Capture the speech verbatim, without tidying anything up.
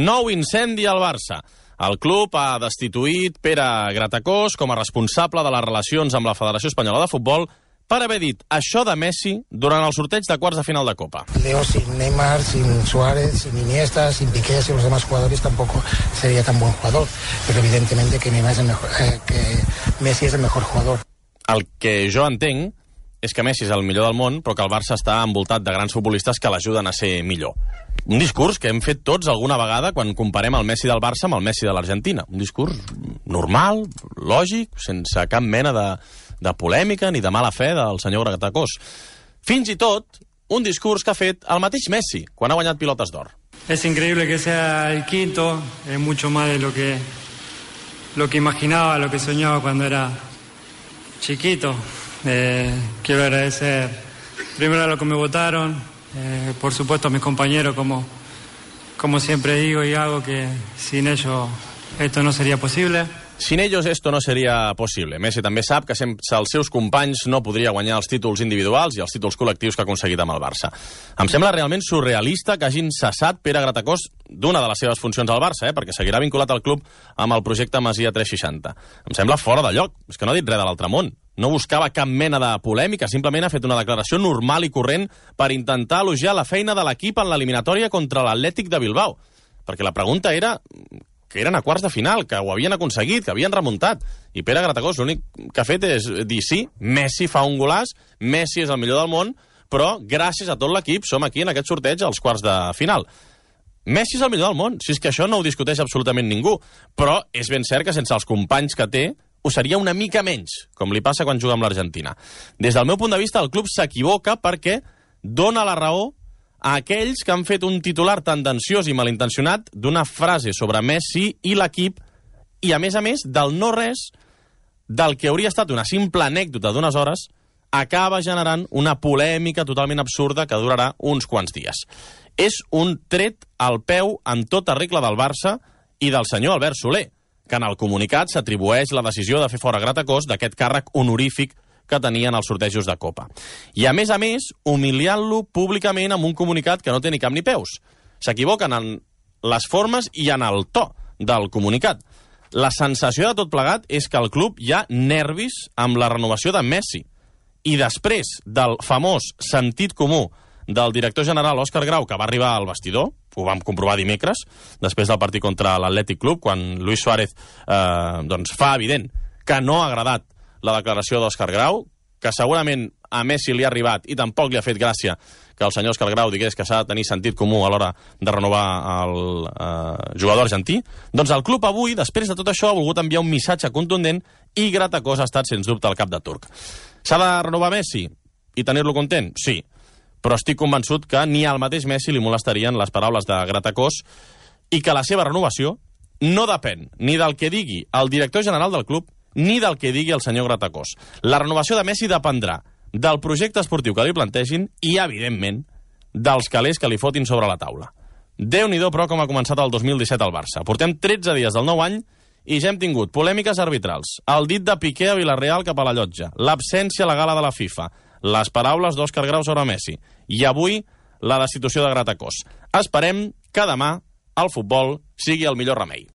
Nou incendi al Barça. El club ha destituït Pere Gratacós com a responsable de les relacions amb la Federació Espanyola de Futbol per haver dit això de Messi durant el sorteig de quarts de final de Copa. Leo sin Neymar, sin Suárez, sin Iniesta, sin Piqué, sin los demás jugadores tampoco sería tan buen jugador. Pero evidentemente que, Neymar es el mejor, eh, que Messi es el mejor jugador. El que jo entenc és que Messi és el millor del món, però que el Barça està envoltat de grans futbolistes que l'ajuden a ser millor. Un discurs que hem fet tots alguna vegada quan comparem el Messi del Barça amb el Messi de l'Argentina. Un discurs normal, lògic, sense cap mena de, de polèmica ni de mala fe del senyor Gratacós. Fins i tot un discurs que ha fet el mateix Messi quan ha guanyat pilotes d'or. Es increíble que sea el quinto, es mucho más de lo que, lo que imaginaba, lo que soñaba cuando era chiquito. Eh, quiero agradecer primero a los que me votaron, eh, por supuesto a mis compañeros, como, como siempre digo y hago, que sin ellos esto no sería posible. Sin ellos esto no seria possible. Messi també sap que sense els seus companys no podria guanyar els títols individuals i els títols col·lectius que ha aconseguit amb el Barça. Em sembla realment surrealista que hagin cessat Pere Gratacós d'una de les seves funcions al Barça, eh? perquè seguirà vinculat al club amb el projecte Masia tres seixanta. Em sembla fora de lloc. És que no ha dit res de l'altre món. No buscava cap mena de polèmica, simplement ha fet una declaració normal i corrent per intentar elogiar la feina de l'equip en l'eliminatòria contra l'Atlètic de Bilbao. Perquè la pregunta era que eren a quarts de final, que ho havien aconseguit, que havien remuntat. I Pere Gratacós l'únic que ha fet és dir sí, Messi fa un golaç, Messi és el millor del món, però gràcies a tot l'equip som aquí en aquest sorteig als quarts de final. Messi és el millor del món, si és que això no ho discuteix absolutament ningú, però és ben cert que sense els companys que té ho seria una mica menys, com li passa quan juga amb l'Argentina. Des del meu punt de vista, el club s'equivoca perquè dona la raó a aquells que han fet un titular tendenciós i malintencionat d'una frase sobre Messi i l'equip i, a més a més, del no-res del que hauria estat una simple anècdota d'unes hores acaba generant una polèmica totalment absurda que durarà uns quants dies. És un tret al peu en tota regla del Barça i del senyor Albert Soler, que en el comunicat s'atribueix la decisió de fer fora Gratacós d'aquest càrrec honorífic que tenien els sortejos de Copa. I, a més a més, humiliant-lo públicament amb un comunicat que no té ni cap ni peus. S'equivoquen en les formes i en el to del comunicat. La sensació de tot plegat és que al club hi ha nervis amb la renovació de Messi. I després del famós sentit comú del director general Òscar Grau, que va arribar al vestidor, ho vam comprovar dimecres, després del partit contra l'Atlètic Club, quan Luis Suárez eh, doncs fa evident que no ha agradat la declaració d'Òscar Grau, que segurament a Messi li ha arribat i tampoc li ha fet gràcia que el senyor Òscar Grau digués que s'ha de tenir sentit comú a l'hora de renovar el eh, jugador argentí. Doncs el club avui, després de tot això, ha volgut enviar un missatge contundent i Gratacós ha estat, sens dubte, el cap de turc. S'ha de renovar Messi i tenir-lo content? Sí. Però estic convençut que ni al mateix Messi li molestarien les paraules de Gratacós i que la seva renovació no depèn ni del que digui el director general del club ni del que digui el senyor Gratacós. La renovació de Messi dependrà del projecte esportiu que li plantegin i, evidentment, dels calés que li fotin sobre la taula. Déu-n'hi-do, però, com ha començat el dos mil disset al Barça. Portem tretze dies del nou any i ja hem tingut polèmiques arbitrals, el dit de Piqué a Villarreal cap a la llotja, l'absència a la gala de la FIFA, les paraules d'Òscar Grau sobre Messi i avui la destitució de Gratacós. Esperem que demà el futbol sigui el millor remei.